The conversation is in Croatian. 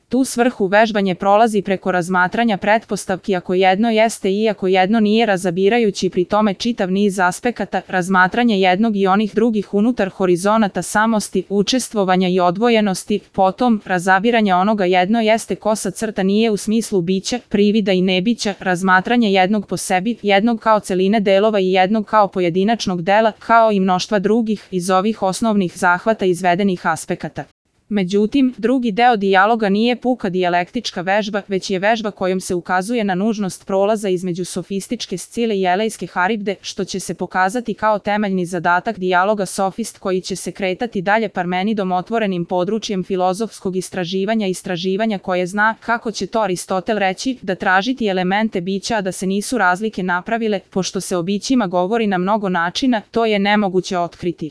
Tu svrhu vežbanje prolazi preko razmatranja pretpostavki ako jedno jeste i ako jedno nije, razabirajući pri tome čitav niz aspekata, razmatranje jednog i onih drugih unutar horizonata samosti, učestvovanja i odvojenosti, potom razabiranje onoga jedno jeste kosa crta nije u smislu bića, privida i nebića, razmatranje jednog po sebi, jednog kao celine delova i jednog kao pojedinačnog dela, kao i mnoštva drugih iz ovih osnovnih zahvata izvedenih aspekata. Međutim, drugi deo dijaloga nije puka dijalektička vežba, već je vežba kojom se ukazuje na nužnost prolaza između sofističke Scile i elejske Haribde, što će se pokazati kao temeljni zadatak dijaloga sofist koji će se kretati dalje Parmenidom, otvorenim područjem filozofskog istraživanja koje zna, kako će to Aristotel reći, da tražiti elemente bića a da se nisu razlike napravile, pošto se o bićima govori na mnogo načina, to je nemoguće otkriti.